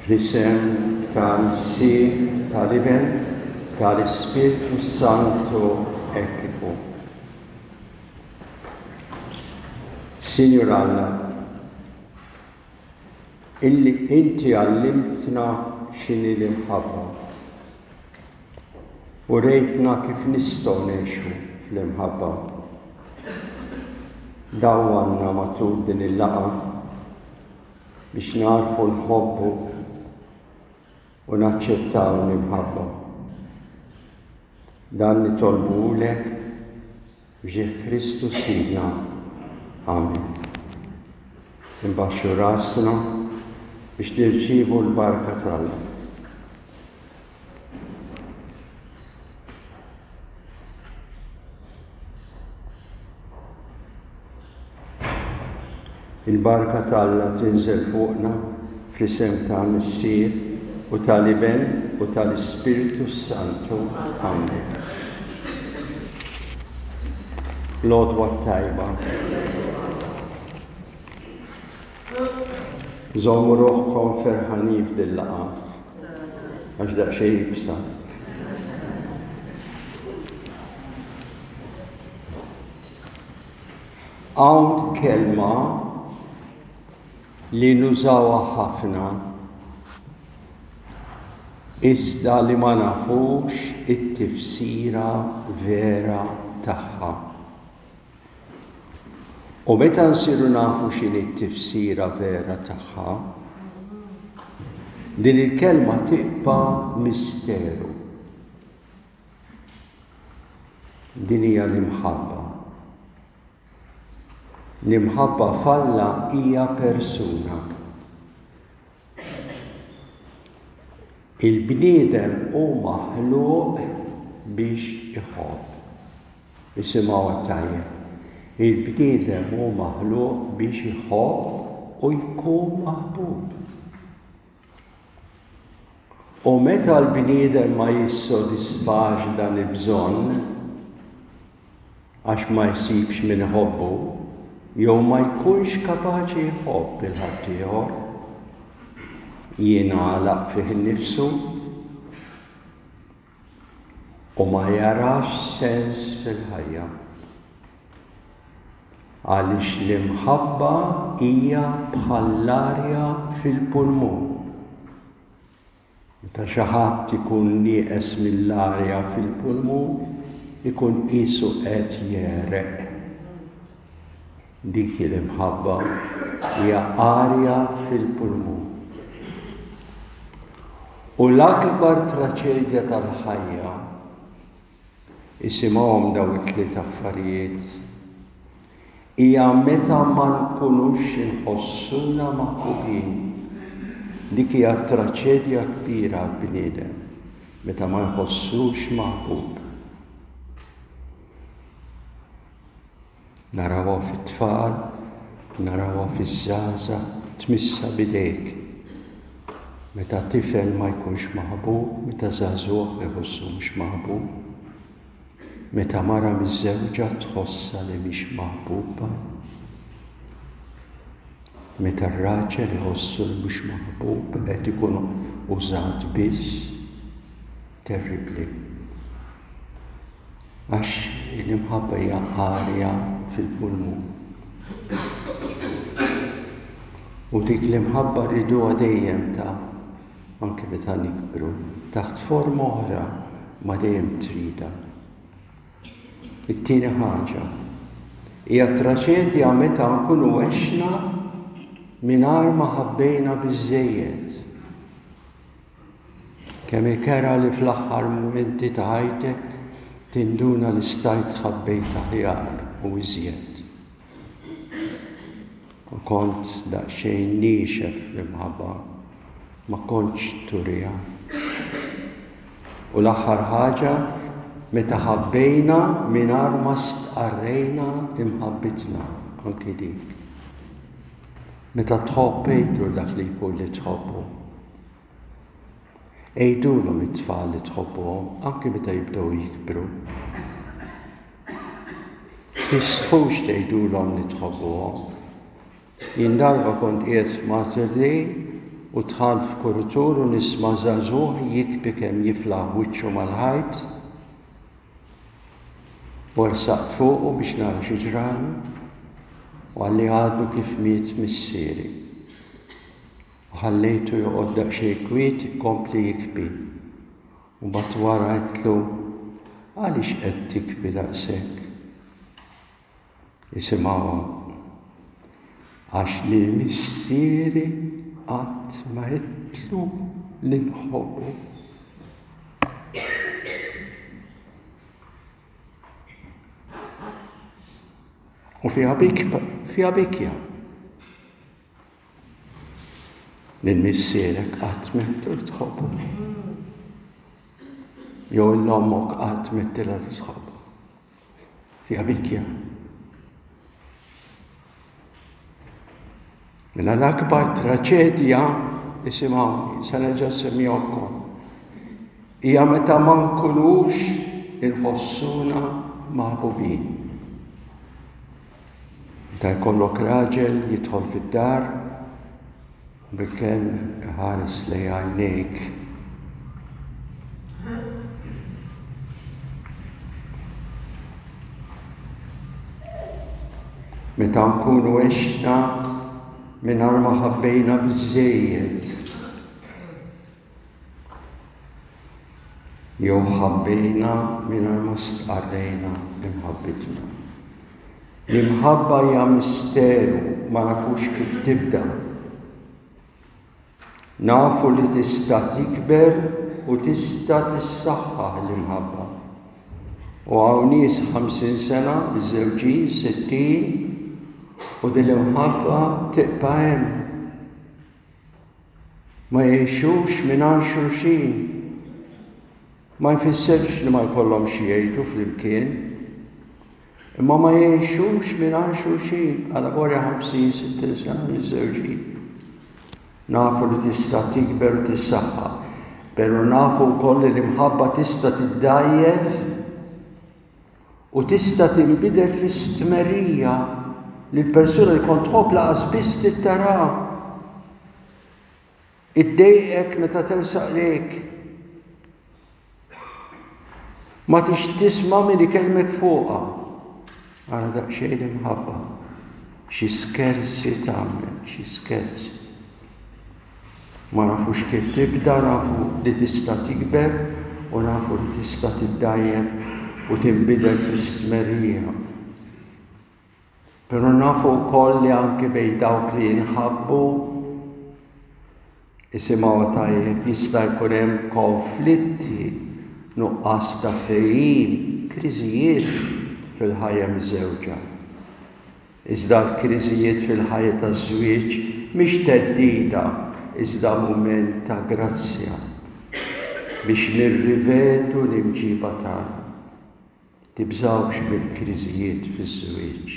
Fl-isem tal-Missier, tal-Iben, tal-Ispirtu Santu hekk ikun. Sinjur Alla, illi inti għallimtna x'inhi l-imħabba u rejtna kif nistgħu ngħixu fl-imħabba. Dawwanna matul din il-laqgħa biex nagħrfu nħobbu u naċċettaw l-imħabba. Dan nitolbuhulek f'ġieħ Kristu Sidna. Amen. Inbaxxu rasna biex nirċievu l-barka t'Alla. Il-barka t'Alla tinżel fuqna fl-isem ta' Missier u tal-Iben u tal-Ispirtu s-Santu. Amen. L-għodwa t-tajba. Żommu ruħkom ferħanin f'dil-laqgħa għax daqsxejn iebsa. Hawn kelma li nużawha ħafna iżda li ma nafux it-tifsira vera tagħha. U meta nsiru nafu x'inhi t-tifsira vera tagħha, din il-kelma tibqa' misteru. Din hija l-imħabba. L-imħabba f'Alla hija persuna. Il-bniedem hu maħluq biex iħobb. Isimgħuha tajjeb. Il-bniedem hu maħluq biex iħobb u jkun maħbub. U meta l-bniedem ma jissodisfax dan il-bżonn, għax ma jsibx min iħobbu, jew ma jkunx kapaċi jħobb 'il ħaddieħor, jingħalaq fih innifsu u ma jarax sens fil-ħajja. Għaliex l-imħabba hija bħall-arja fil-pulmun. Meta xi ħadd ikun nieqes mill-arja fil-pulmun, ikun qisu qed jegħreq. Dik hi l-imħabba, hija arja fil-pulmun. U l-akbar traċedja tal-ħajja Isimgħuhom dawn it-tliet affarijiet. Hija meta ma nkunux inħossuna maħbubin. Dik hija traċedja kbira għall-bniedem, meta ma jħossux maħbub. Narawha fit-tfal, narawha fiż-żgħażagħ, tmissha b'idejk. Meta tifel ma jkunx maħbub, meta żagħżugħ iħossu mhux maħbub, meta mara miżżewġa tħossha li mhix maħbuba, meta r-raġel iħossu li mhux maħbub qed ikun użat biss, terribbli. Għax l-imħabba hija arja fil-pulmun. U dik l-imħabba rriduha dejjem ta' anke meta nikbru, taħt forma oħra ma dejjem tridha. It-tieni ħaġa hija traċedja meta nkunu għexna mingħajr ma ħabbejna biżżejjed. Kemm hi kerha li fl-aħħar mumenti ta' ħajtek tinduna li stajt ħabbejt aħjar u iżjed. U kont daqsxejn niexef fl-imħabba, ma kontx turiha. U l-aħħar ħaġa, meta ħabbejna mingħajr ma stqarrejna imħabbitna, anki dik. Meta tħobb għidlu dak li jkun li tħobbu. Għidulhom it-tfal li tħobbuhom anki meta jibdew jikbru. Tistħux tgħidulhom li tħobbuhom. Jien darba kont qiegħed f'Mater Dei U dħalt f'kuritur u nisma' żagħżugħ jikbi kemm jiflaħ wiċċu mal-ħajt. U ersaqt fuqu biex nara xi ġralu u qalli għadu kif miet missieri. U ħallejtu joqgħod daqsxejn kwiet ikompli jikbi. U mbagħad wara għedtlu għaliex qed tikbi daqshekk? Isimgħuha. Għax lil missieri qatt ma għedtlu li nħobbu. U fiha fiha bikja. Lil missierek qatt m'għedtlu li tħobbu. Jew 'l ommok qatt m'għedtilha li tħobbha. Fiha bikja. Mela l-akbar traċedja, isimgħuni, se nerġa' nsemmihomkom, hija meta ma nkunux inħossuna maħbubin. Meta jkollok raġel jidħol fid-dar, Bilkemm iħares lejn għajnejk. Meta nkunu għexna mingħajr ma ħabbejna biżżejjed. Jew ħabbejna mingħajr ma stqarrejna imħabbitna. L-imħabba hija misteru ma nafux kif tibda. Nafu li tista' tikber u tista' tissaħħaħ l-imħabba. U hawn nies 50 sena, miżżewġin, 60, u din l-imħabba tibqa' hemm. Ma jgħixux mingħajr xulxin. Ma jfissirx li ma jkollhomx xi jgħidu flimkien. Imma ma jgħixux mingħajr xulxin għal vorja 50, 60 sena miżżewġin. Nafu li tista' tikber u tissaħħa, però nafu wkoll li l-imħabba tista' tiddgħajjef U tista' tinbidel fi stmerrija li l-persuna li kont tħobb laqas biss trid taraha. Iddejqek meta tersaq lejk. Ma tix tisma' min ikellmek fuqha. Ara daqsxejn l-imħabba. Xi skerzi tagħmel, xi skerzi. Ma nafux kif tibda, nafu li tista' tikber u nafu li tista' tiddgħajjef u tinbidel fi stmerrija. Però nafu wkoll li anki bejn dawk li jinħabbu isimgħu tajjeb jista' jkun hemm konflitti, nuqqas ta' ftehim, kriżijiet fil-ħajja miżżewġa. Iżda l-kriżijiet fil-ħajja taż-żwieġ mhix theddida iżda mument ta' grazzja biex nirrivedu l-imġiba tagħna. Tibżgħux mill-kriżijiet fiż-żwieġ.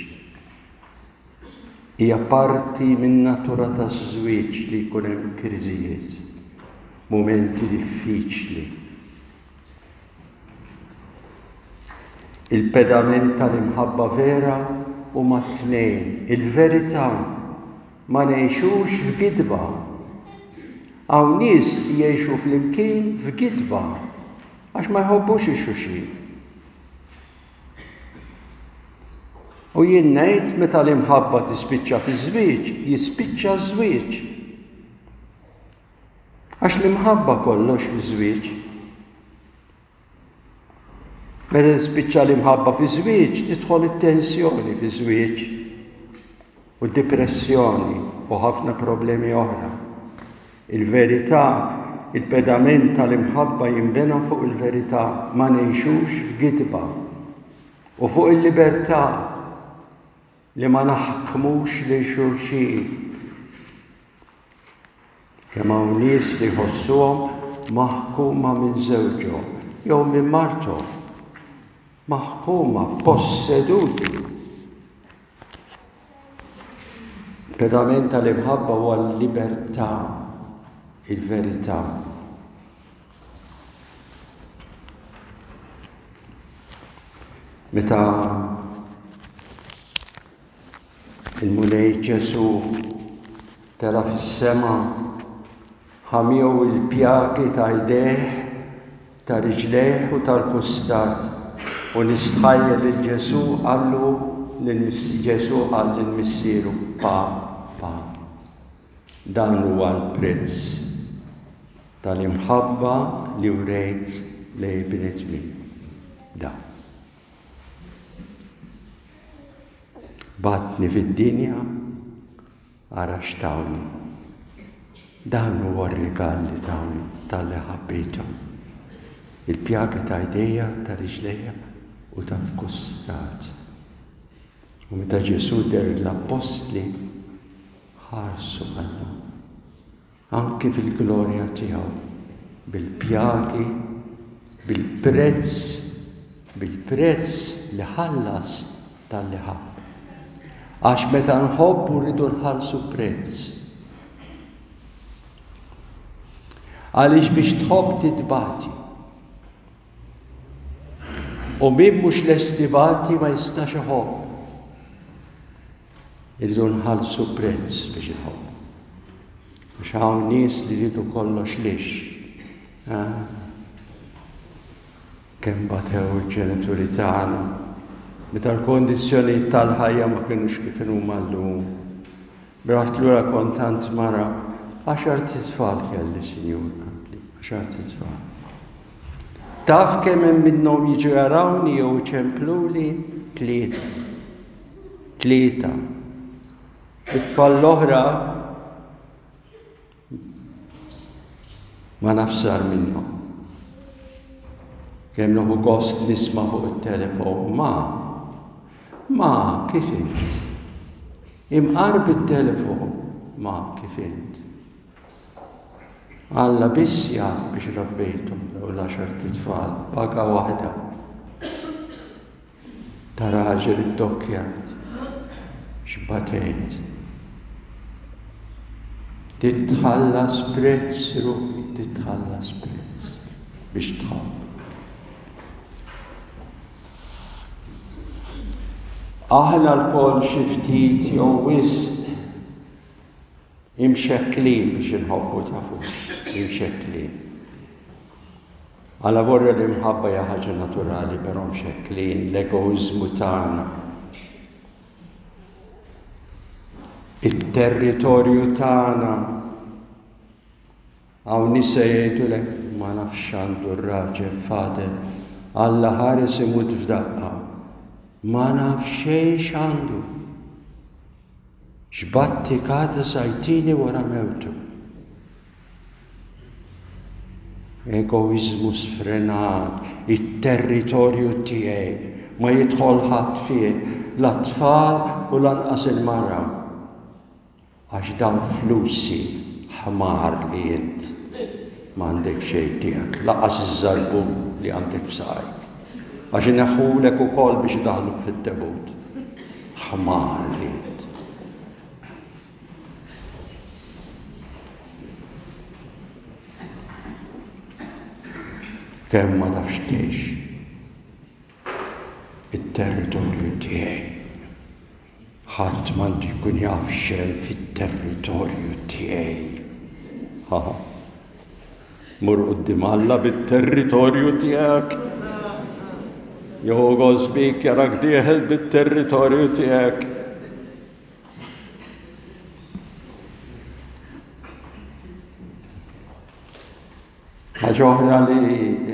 Hija parti min-natura taż-żwieġ li jkun hemm kriżijiet, mumenti diffiċli. Il-pedament tal-imħabba vera huma t-tnejn, il-verità, ma ngħixux f'gidba. Hawn nies jgħixu flimkien f'gidba għax ma jħobbux ix-xulxin. U jien ngħid meta l-imħabba tispiċċa fiż-żwieġ, jispiċċa ż-żwieġ. Għax l-imħabba kollox fiż-żwieġ. Meta tispiċċa l-imħabba fiż-żwieġ, tidħol it-tensjoni fiż-żwieġ u d-dipressjoni u ħafna problemi oħra. Il-verità, il-pedament tal-imħabba jinbena fuq il-verità, ma ngħixux f'gidba u fuq il-libertà li ma naħkmux lil xulxin. Kemm hawn nies li jħossuhom maħkuma minn żewġhom jew minn marthom. Maħkuma, posseduti. Il-pedament tal-imħabba huwa l-libertà, il-verità. Meta Il-Mulej Ġesù tela' fis-sema. Ħa miegħu l-pjagi ta' jdejh, ta' riġlejh u tal-kustat, u nistħajjel lil Ġesù qallu lil Ġesù qal lil Missieru, Pa, Pa. Dan huwa l-prezz tal-imħabba li wrejt lejn il-bnedmin. Dan. Bgħattni fid-dinja Ara x'tawni. Dan huwa r-rigal li tawni talli ħabbejthom. Il-pjagi ta' jdejja, ta' riġlejja u tal-kustat. U meta Ġesù deher lill-appostli, ħarsu qallu, anki fil-glorja tiegħu, bil-pjagi, bil-prezz, bil-prezz li ħallas talli ħabb. Għax meta nħobbu rridu nħallsu prezz. Għaliex biex tħobb titbati. U min mhux lest ibati ma jistax iħobb. Irridu nħallsu prezz biex inħobbu. Għax hawn nies li jridu kollox lix. Kemm batew il-ġenituri tagħna meta l-kondizzjonijiet tal-ħajja ma kinux kif inhuma llum. Raħt lura kont għand mara, għaxart itfal kelli, sinjur, qaltli, għaxart itfal. Taf kemm hemm minnhom jiġu jarawni jew iċempluli? Tlieta. Tlieta. It-tfal l-oħra ma nafx sar minnhom. Kemm nieħu gost nisma' fuq it-telefon, ma, ma, kif int? Imqar bit-telefon, ma, kif int? Alla biss jaf biex rabbejthom dawn l-għaxart itfal, paga waħda. Ta' raġel iddokkjat, x'batejt. Titħallas prezz ruħi, titħallas prezz biex tħobb. Aħna lkoll xi ftit jew wisq Imxekklin biex inħobbu tafux, imxekklin. Alavolja l-imħabba hija ħaġa naturali, però mxekklin l-egoiżmu tagħna. It-territorju tagħna hawn nisa jgħidulek ma nafx għandu r-raġel fadel, Alla ħares imut f'daqqa. Ma naf xejn x'għandu. X'battikata sa jtini wara mewtu. Egoiżmu sfrenat, it-territorju tiegħi ma jidħol ħadd fih, la t-tfal u lanqas il-mara. Għax dawn flusi ħmar li int m'għandek xejn tiegħek, lanqas iż-żarbun li għandek f'saqajk. Għax ineħħulek ukoll biex idaħħluk fit-tebut. Ħmar li int. Kemm ma tafx tgħix it-territorju tiegħi. Ħadd m'għandu jkun jaf x'hemm fit-territorju tiegħi. Ha. Mur quddiem Alla bit-territorju tiegħek. Jieħu gost bik jarak dieħel bit-territorju tiegħek. Ħaġa oħra li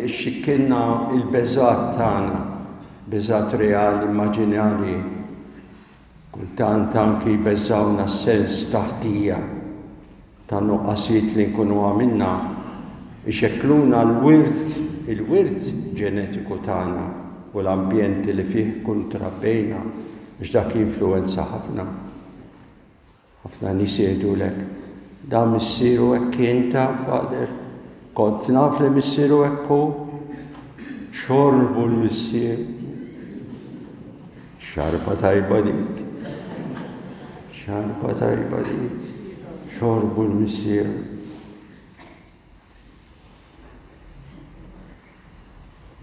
xxikkilna il-beżgħat tagħna, beżgħat reali, immaġinarji. Kultant anki jbeżżgħuna s-sens ta' ħtija, ta' nuqqasijiet li nkunu għamilna, ixekkluna l-wirt, il-wirt ġenetiku tagħna u l-ambjenti li fih kun trabbejna, għax dak jinfluwenza ħafna. Ħafna nies jgħidulek, Dan missieru hekk kien ta' Father. Kont naf li missieru hekk hu. Xorbu l-missier. Xarba tajba dik. Xarba tajba dik. Xorbu l-missier.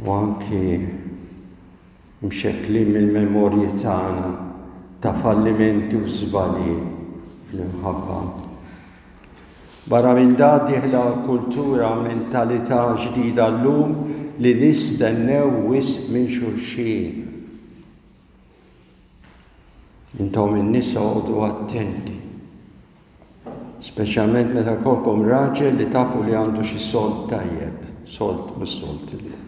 U anki mxekklin mill-memorji tagħna ta' fallimenti u żbalji fl-imħabba. Barra minn dan dieħla kultura mentalità ġdida llum li nistennew wisq minn xulxin. Intom in-nisa oqogħdu attenti. Speċjalment meta jkollkom raġel li tafu li għandu xi sold tajjeb, sold mhux sold li.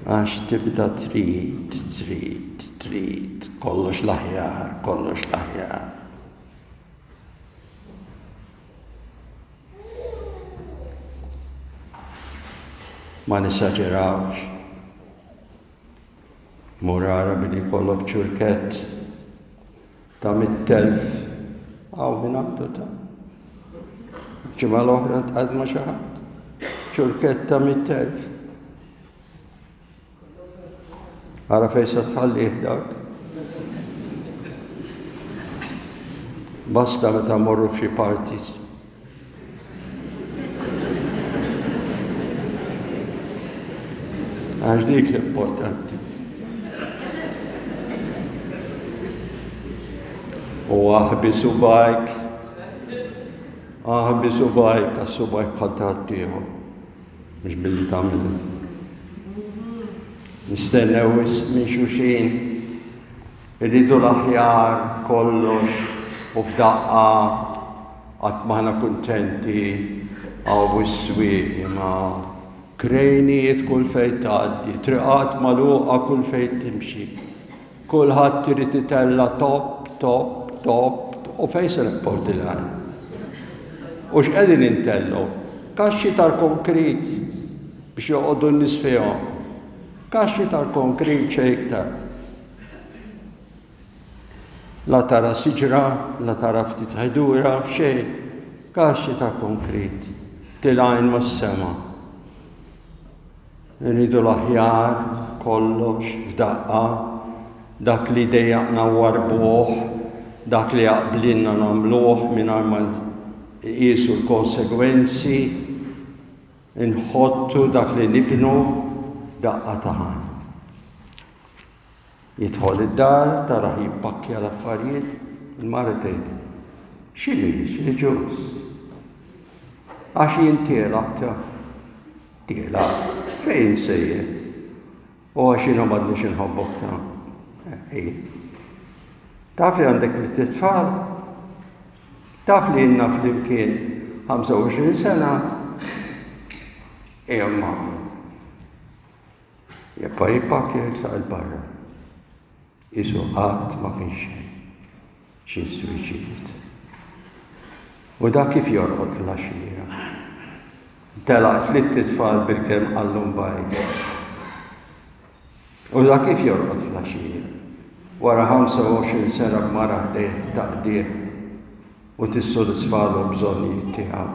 Għax tibda trid, trid, trid, kollox l-aħjar, kollox l-aħjar. Ma nisaġerawx. Mur ara billi jkollok ċurkett ta' 100,000 hawn min għandu ta' ġimgħa l-oħra tqgħad ma' xi ħadd. Ċurkett ta' 100,000. Ara fejn se tħallih dak. Basta meta morru f'xi parties. Għax dik l-importanti. U aħbi subajk, aħbi subajk, għax subajk bħal ta' ħaddieħor. Mhux billi tagħmel. Nistennew wisq minn xulxin. Irridu l-aħjar kollox u f'daqqa qatt m'aħna kuntenti hawn is-swieq imma krejnijiet kull fejn tgħaddi, triqat magħluqa kull fejn timxi. Kulħadd irid itella' top, top, top, u fejn se nibqgħu tilgħin? U x'qegħdin intellgħu? Kaxxi tal-konkrit biex joqogħdu n-nies fihom. Kaxxi tal-konkrit xejn iktar. La tara siġra, la tara ftit ħdura, xejn. Kaxxi ta' konkrit, tilgħin mas-sema. Irridu l-aħjar, kollox, f'daqqa, dak li jdejjaqna nwarrbuh, dak li jaqblilna nagħmluh mingħajr ma nqisu l-konsegwenzi. Inħottu dak li nibnu daqqa ta' ħajn. Jidħol id-dar, tarah jippakkja l-affarijiet, il-mara tgħid, X'inhi, x'inhi ġuż? Għax jien tielaq ta' tielaq, fejn sejjer? U għax jiena m'għadniex inħobbok ta' eh, Taf li għandek li tfal? Taf li ilna flimkien 25 sena? Imma Jibqa' jippakkja jitlaq 'il barra. Qisu qatt ma kien xejn. Xi suwiċid. U dak kif jorqod fl-għaxija? Telaq tlitt itfal bilkemm qallhom bye. U dak kif jorqod fl-għaxija? Wara 25 sena b'mara ħdejh taqdih u tissodisfalu l-bżonnijiet tiegħu.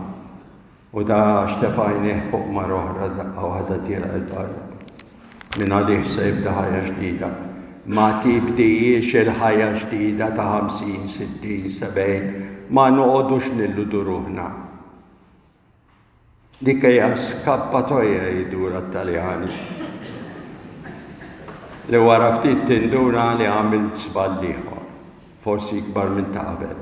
U da għax tefa' għajnejh fuq mara oħra daqqa waħda tielaq 'il barra. Mingħalih se jibda ħajja ġdida. Ma tibdihiex il-ħajja ġdida ta' 50, 60, 70, ma noqogħdux nilludu ruħna. Dik hija skappatoja jgħidulha t-Taljani. Li wara ftit tinduna li għamilt żball ieħor, forsi ikbar minn ta' qabel.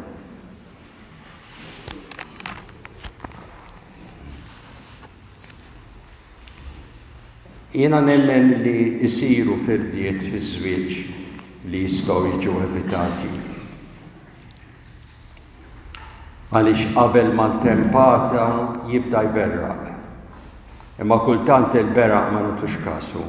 Jiena nemmen li jsiru firdiet fiż-żwieġ li jistgħu jiġu evitati. Għaliex qabel maltempata jibda jberraq. Imma kultant il-beraq ma nagħtux kasu.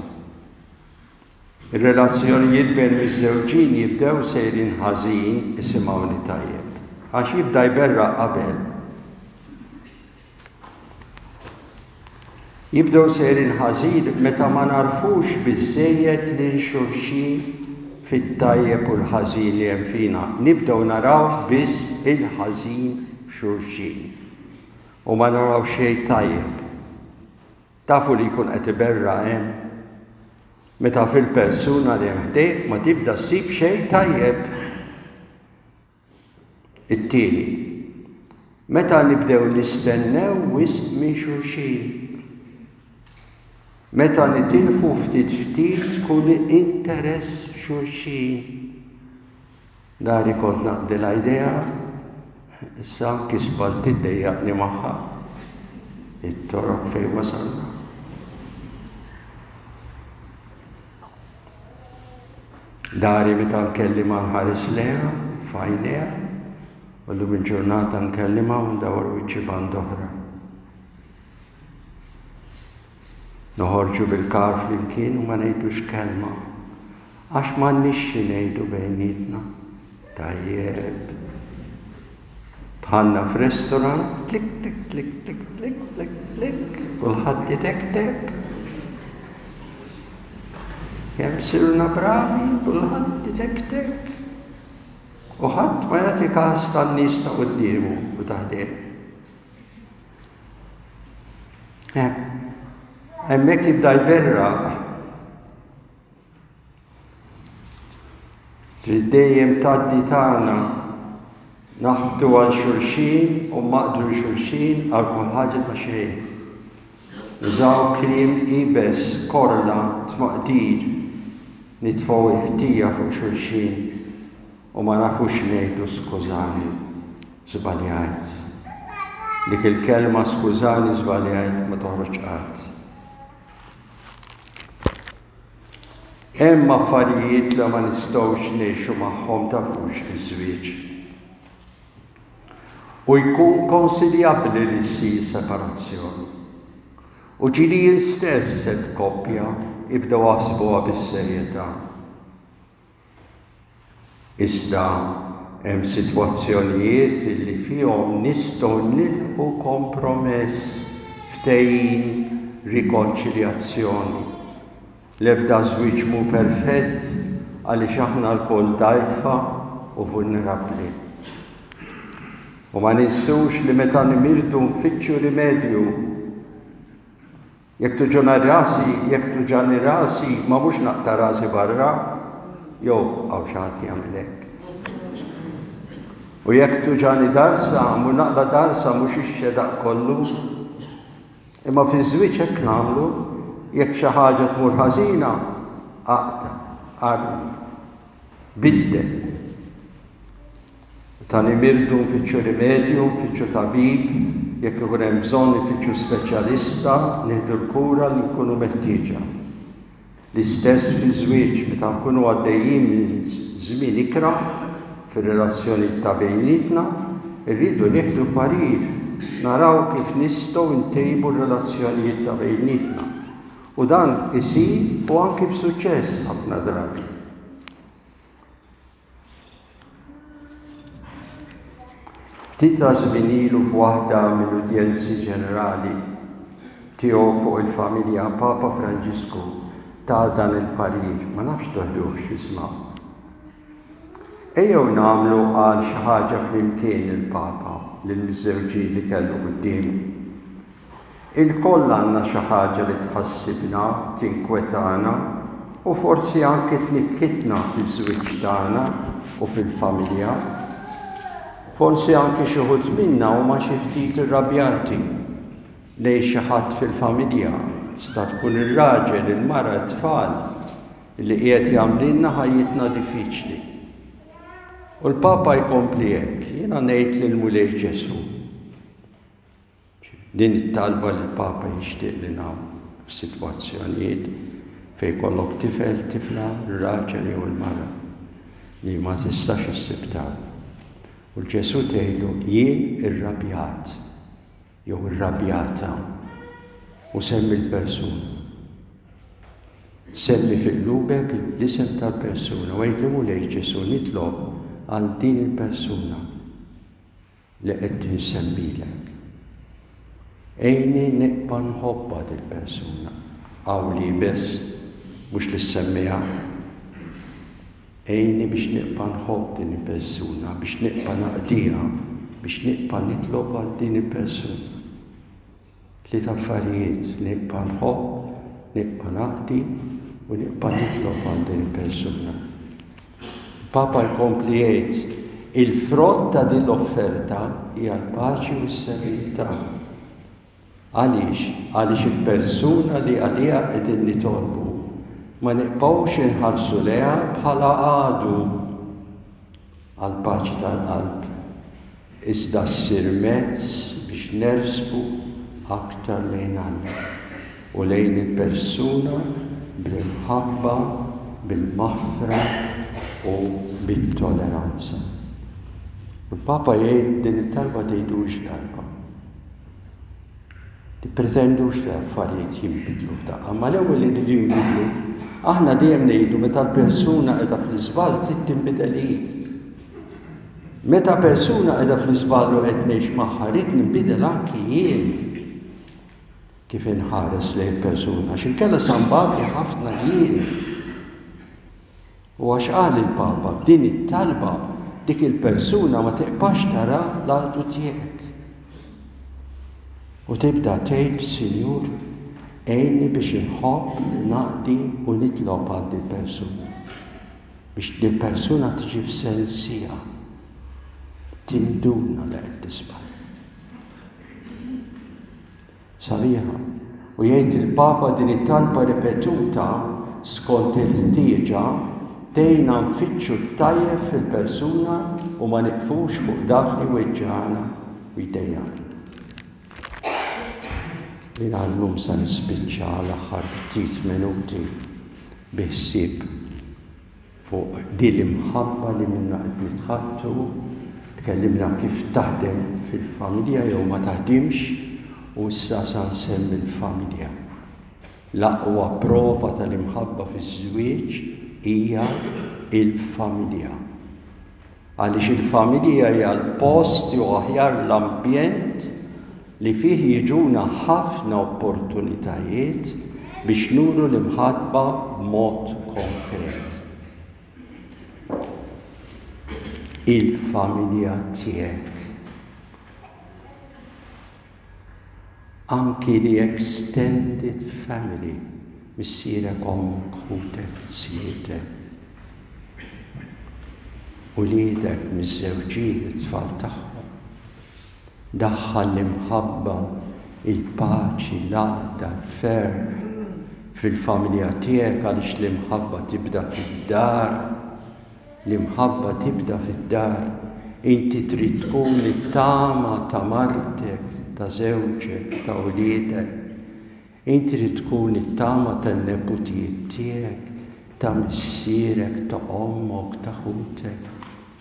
Ir-relazzjonijiet bejn miżżewġin jibdew sejrin ħażin, isimgħuni tajjeb, għax jibda jberraq qabel. Jibdew sejrin ħażin meta ma nagħrfux biżżejjed lil xulxin fit-tajjeb u l-ħażin li hemm fina. Nibdew naraw biss il-ħażin f'xulxin u ma naraw xejn tajjeb. Tafu li jkun qed iberraq hemm? Meta fil-persuna li hemm ħdejk ma tibda ssib xejn tajjeb. It-tieni, meta nibdew nistennew wisq minn xulxin. Meta nitilfu ftit ftit kull interess f'xulxin. Dari kont naqdilha idea. Issa anki spalti ddejjaqni magħha. It-toroq fejn wasalna. Dari meta nkellimha nħares lejha f'għajnejha u llum il-ġurnata nkellimha u ndawwar wiċċi band'oħra. Noħorġu bil-kar flimkien u ma ngħidux kelma. Għax m'għandniex xi ngħidu bejnietna. Tajjeb. Dħalna f'restaurant, klik klik klik klik klik klik klik, kulħadd itektek. Kemm sirna bravi, kulħadd itektek. U ħadd ma jagħti każ tan-nies ta' quddiemu u ta' ħdejh. Hemmhekk jibda jberraq. Trid dejjem tgħaddi tagħna naħbtu għal xulxin u maqdru xulxin għal kull ħaġa ta' xejn. Nużaw kliem iebes, korla, tmaqdir, nitfgħu l-ħtija fuq xulxin. U ma nafux ngħidu skużani, żbaljajt. Dik il-kelma skużani żbaljajt ma toħroġ qatt. Hemm affarijiet li ma nistgħux ngħixu magħhom tafux fiż-żwieġ. U jkun konsiljabbli li ssir separazzjoni. U ġieli jien stess għedt koppja ibdew aħsbuha bis-serjetà. Iżda hemm sitwazzjonijiet li fihom nistgħu nilħqu kompromess, ftehim, rikonċiljazzjoni. L-ebda żwieġ mhu perfett għaliex aħna lkoll dgħajfa u vulnerabbli. U ma ninsewx li meta nimirdu nfittxu rimedju. Jekk tuġuna rasi, jekk tuġani rasi, ma mhux naqta' rasi barra, jew hawn xi ħadd jagħmel hekk. U jekk tuġani darsa, mhu naqla' darsa mhux ix-xedaq kollu. Imma fiż-żwieġ hekk nagħmlu, jekk xi ħaġa tmur ħażina, aqta', armi, biddel. Meta nimirdu nfittxu rimedju, nfittxu tabib, jekk ikun hemm bżonn infittxu speċjalista, nieħdu l-kura li nkunu meħtieġa. L-istess fiż-żwieġ, meta nkunu għaddejjin minn żmien ikrah fir-relazzjonijiet ta' bejnietna, irridu nieħdu parir, naraw kif nistgħu ntejbu r-relazzjonijiet ta' bejnietna. U dan isir u anki b'suċċess ħafna drabi. Ftit ta' żmien ilu f'waħda mill-udjenzi ġenerali tiegħu fuq il-familja, Papa Franġisku ta dan il-parir, ma nafx toħduhx, ismgħu. Ejjew nagħmlu għal xi ħaġa flimkien il-Papa lill-miżżewġin li kellu quddiemu. Ilkoll għandna xi ħaġa li tħassibna, tinkwetana u forsi anki tnikkitna fiż-żwieġ tagħna u fil-familja. Forsi anki xi wħud minna huma xi ftit irrabjati lejn xi ħadd fil-familja, tista' tkun ir-raġel, il-mara, it-tfal, li qiegħed jagħmlilna ħajjitna diffiċli. U l-Papa jkompli hekk, jiena ngħid lill-Mulej Ġesù, Din it-talba li l-Papa jixtieq li nagħmlu f'sitwazzjonijiet fejn jkollok tifel, tifla, ir-raġel jew il-mara li ma tistax issib tarf. U l-Ġesù tgħidlu jien irrabjat jew irrabjata u semmi l-persuna. Semmi fi qlubek l-isem tal-persuna u għidlu Mulej Ġesù nitlob għal din il-persuna. li qed insemmilek. Għinni nibqa' nħobbha dil-persuna. Hawn l-iebes, mhux li ssemmiha. Għinni biex nibqa' nħobb din il-persuna, biex nibqa' naqdiha, biex nibqa' nitlob għal din il-persuna. Tliet affarijiet, nibqa' nħobb, nibqa' naqdi u nibqa' nitlob għal din il-persuna. Il-Papa jkompli jgħid, il-frott ta' din l-offerta hija l-paċi u s-serenità. Għaliex? Għaliex il-persuna li għaliha qegħdin nitolbu ma nibqgħux inħarsu lejha bħala għadu għall-paċi tal-qalb. iżda ssir mezz biex nersqu aktar lejn Alla u lejn il-persuna bl-imħabba, bil-maħfra u bit-toleranza. U l-Papa jgħid din it-talba tgħidux darba. Tippretendux li l-affarijiet jinbidlu f'daqqa, ma l-ewwel iridu jinbidlu. Aħna dejjem ngħidu meta l-persuna qiegħda fl-iżball trid tinbidel hi. Meta persuna qiegħda fl-iżball u qed ngħix magħha rrid ninbidel anki jien kif inħares lejn persuna, għax inkella sa nbati ħafna jien. U għax qal il-Papa, b'din it-talba dik il-persuna ma tiqpax tara l-għadu tiegħek. U tibda tgħid, Sinjur, għinni biex inħobb, naqdi u nitlob għal din persuna. Biex din persuna tiġi f'sensiha. Tinduna li qed tisbal. Sabiħa. U jgħid il-Papa din it-talba ripetuta skont il-ħtieġa tgħinna nfittxu t-tajjeb fil-persuna u ma niqfux fuq dak li jweġġagħna u jdejjaqna. Jiena llum sa nispiċċa l-aħħar ftit minuti bi ħsieb Fuq din l-imħabba li minnha qed nitħaddtu, tkellimna kif taħdem fil-familja jew ma taħdimx u issa sa nsemmi l-familja. L-aqwa prova tal-imħabba fiż-żwieġ hija l-familja. Għaliex il-familja hija l-post jew aħjar l-ambjent li fih jiġuna ħafna opportunitajiet biex nuru l-imħabba b'mod konkret. Il-familja tiegħek. Anki the extended family, missierek, ommok, ħutek, zjietek, uliedek miżżewġin, it-tfal tagħhom. Daħħal l-imħabba, il-paċi, l-għaqda, l-ferħ fil-familja tiegħek għaliex l-imħabba tibda fid-dar. L-imħabba tibda fid-dar. Inti trid tkun it-tama ta' martek, ta' żewġek, ta' uliedek. Inti trid tkun it-tama tan-neputijiet tiegħek, ta' missierek, ta' ommok, ta' ħutek,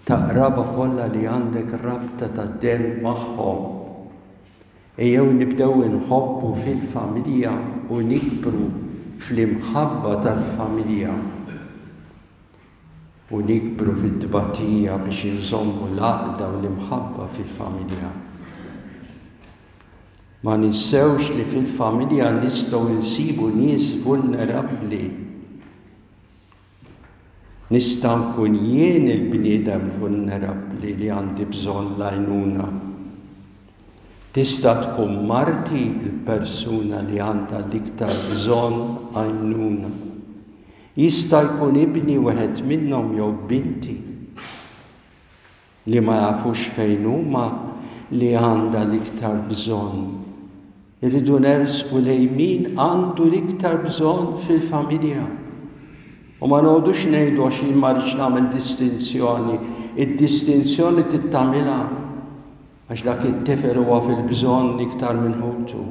ta' qraba kollha li għandek rabta ta' demm magħhom. Ejjew nibdew inħobbu fil-familja u nikbru fl-imħabba tal-familja. U nikbru fit-tbatija biex inżommu l-għaqda u l-imħabba fil-familja. Ma ninsewx li fil-familja nistgħu nsibu nies vulnerabbli. Nista' nkun jien il-bniedem vulnerabbli li għandi bżonn l-għajnuna. Tista' tkun marti l-persuna li għandha l-iktar bżonn għajnuna. Jista' jkun ibni wieħed minnhom jew binti li ma jafux fejn huma li għandha l-iktar bżonn. Irridu nersqu lejn min għandu l-iktar bżonn fil-familja. U ma noqogħdux ngħidu għax jien ma rridx nagħmel distinzjoni. Id-distinzjoni trid tagħmilha għax dak it-tifel huwa fil-bżonn iktar minn ħutu.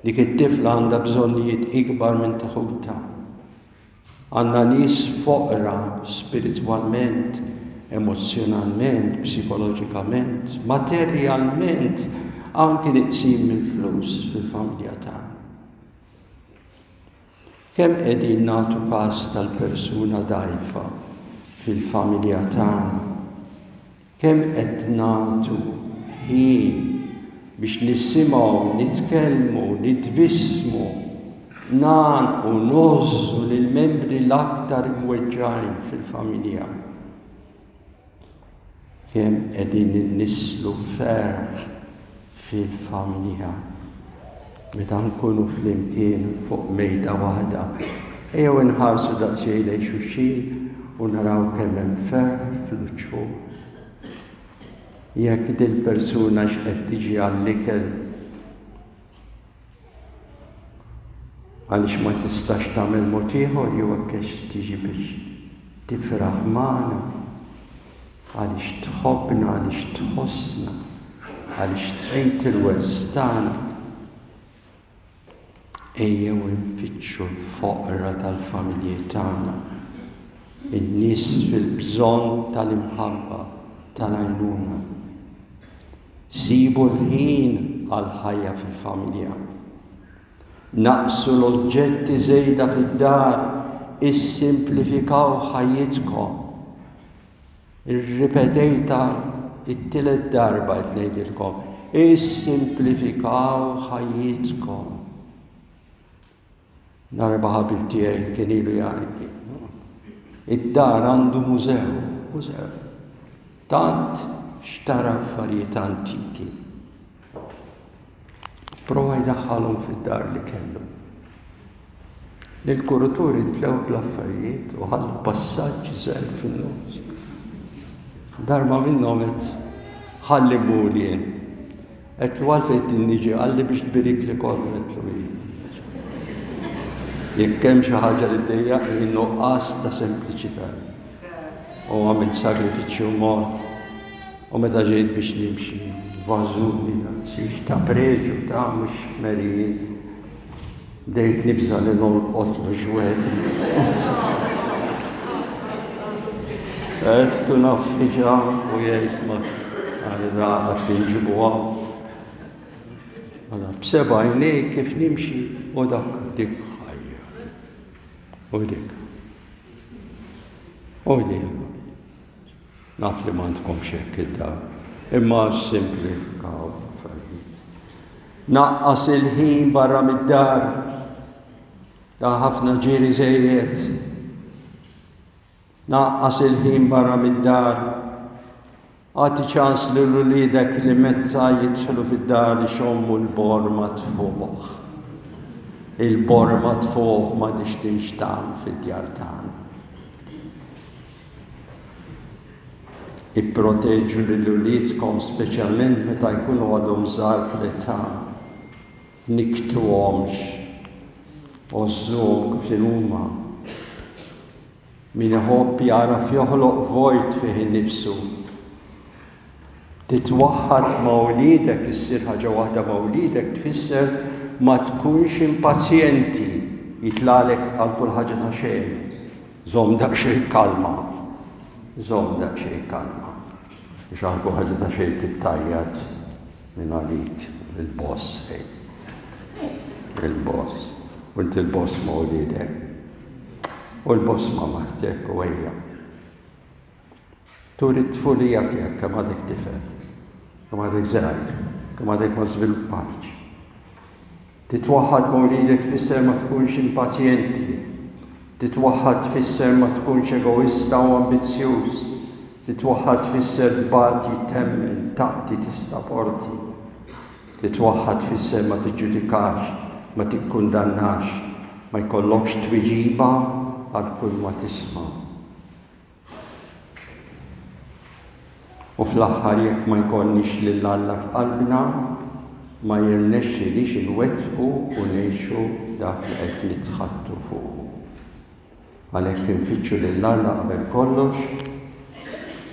Dik it-tifla għandha bżonnijiet ikbar minn ta' ħutha. Għandna nies foqra spiritwalment, emozzjonalment, psikoloġikament, materjalment, anki neqsin mill-flus fil-familja tagħna. Kemm qegħdin nagħtu każ tal-persuna dgħajfa fil-familja tagħna? Kemm qed nagħtu ħin biex nisimgħu, nitkellmu, nitbissmu, ngħannqu, ngħożżu lill-membri l-aktar imweġġgħin fil-familja? Kemm qegħdin innisslu ferħ fil-familja meta nkunu flimkien fuq mejda waħda. Ejjew inħarsu daqsxejn lejn xulxin u naraw kemm hemm ferħ fl-uċċu. Jekk dil-persuna x'qed tiġi għall-ikel Għaliex ma tistax tagħmel mod ieħor jew hekk għax tiġi biex tifraħ magħna. Għaliex tħobbna, għaliex tħossna, għaliex trid il-wens tagħna. Ejjew infittxu l-foqra tal-familji tagħna, in-nies fil-bżonn tal-imħabba, tal-għajnuna. Sibu l-ħin għall-ħajja fil-familja. Naqqsu l-oġġetti żejda fid-dar, issimplifikaw ħajjitkom. Irripetejtha t-tielet darba qed ngħidilkom, issimplifikaw ħajjitkom. Darba ħabib tiegħi kien ilu jgħidli. Id-dar għandu mużew, mużew. Tant xtara affarijiet antiki. Prova jdaħħalhom fid-dar li kellu. Lill-kuruturi ntlew bl-affarijiet u ħalla passaġġ żgħir fin-nofs. Darba minnhom għedt ħalli mmur jien. Għedtlu għalfejn trid niġi qalli biex tbirikli kollu għedtlu iva. Jekk hemm xi ħaġa li ddejjaqni nuqqas ta' sempliċità. U għamilt sagrifiċċju mort. U meta ġejt biex nimxi, vażuni ta' preġu ta' mhux merijiet. Bdejt nibża' li nolqotlu x'wieħed. Għedtu naffiġa u jgħid ma għal da qatt inġibu hawn. Mela b'seba' għajnej kif nimxi u dak dik ħajja. U dik. U dik. Naf li m'għandkomx hekk id-dar, imma ssimplifikaw l-affarijiet. Naqqas il-ħin barra mid-dar, ta' ħafna ġiri żejjed. Naqqas il-ħin barra mid-dar. Agħti ċans lil uliedek li meta jidħlu fid-dar ixommu l-borma tfuħ. Il-borma tfuħ m'għadhiex tinxtamm fid-djar tagħna. Ipproteġu lil uliedkom speċjalment meta jkunu għadhom żgħar fl-età. Tnikktuhomx. Għożżuhom kif inhuma. Min iħobb jagħraf joħloq vojt fih innifsu. Titwaħħad ma' uliedek, issir ħaġa waħda ma' uliedek tfisser ma tkunx impazjenti, jitlagħlek għal kull ħaġa ta' xejn. Żomm daqsxejn kalma. Żomm daqsxejn kalma. Mhux għal kull ħaġa ta' xejn tittajjat minn għalik il-boss ej. Il-boss. U inti l-boss ma' uliedek. U l-boss ma' martek u ejja. Turi t-tfulija tiegħek kemm għadek tifel, kemm għadek żgħir, kemm għadek ma żviluppajtx. Titwaħħad ma' wliedek tfisser ma tkunx impazjenti. Titwaħħad tfisser ma tkunx egoista u ambizzjuż. Titwaħħad tfisser tbati, temmen, taqdi, tistaporti. Titwaħħad tfisser ma tiġġudikax, ma tikkundannax, ma jkollokx tweġiba għal kull ma tisma'. U fl-aħħar jekk ma jkollniex lil Alla f'qalbna, ma jirnexxilix inwettqu u ngħixu dak li qed nitħaddtu fuqu. Għalhekk infittxu lil Alla qabel kollox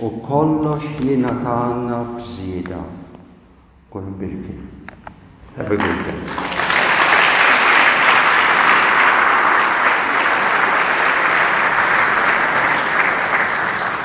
u kollox jingħatalna b'żieda. Kunu mbierkin. Have a good day.